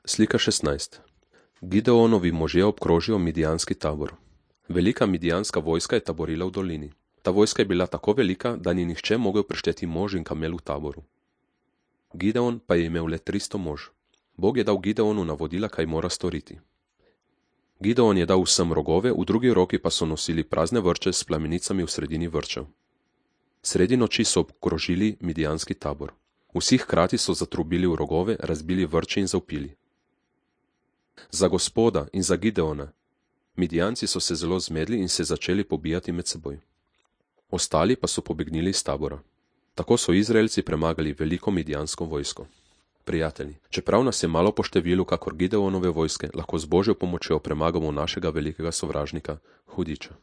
Slika 16. Gideonovi možje obkrožijo midijanski tabor. Velika midijanska vojska je taborila v dolini. Ta vojska je bila tako velika, da ni nihče mogel prešteti mož in kamel v taboru. Gideon pa je imel le 300 mož. Bog je dal Gideonu navodila, kaj mora storiti. Gideon je dal vsem rogove, v drugi roki pa so nosili prazne vrče s plamenicami v sredini vrčev. Sredi noči so obkrožili midijanski tabor. Vsi hkrati so zatrubili v rogove, razbili vrče in zavpili. Za Gospoda in za Gideona. Midijanci so se zelo zmedli in se začeli pobijati med seboj. Ostali pa so pobegnili iz tabora. Tako so Izraelci premagali veliko midijansko vojsko. Prijatelji, čeprav nas je malo po številu kakor Gideonove vojske, lahko z Božjo pomočjo premagamo našega velikega sovražnika, hudiča.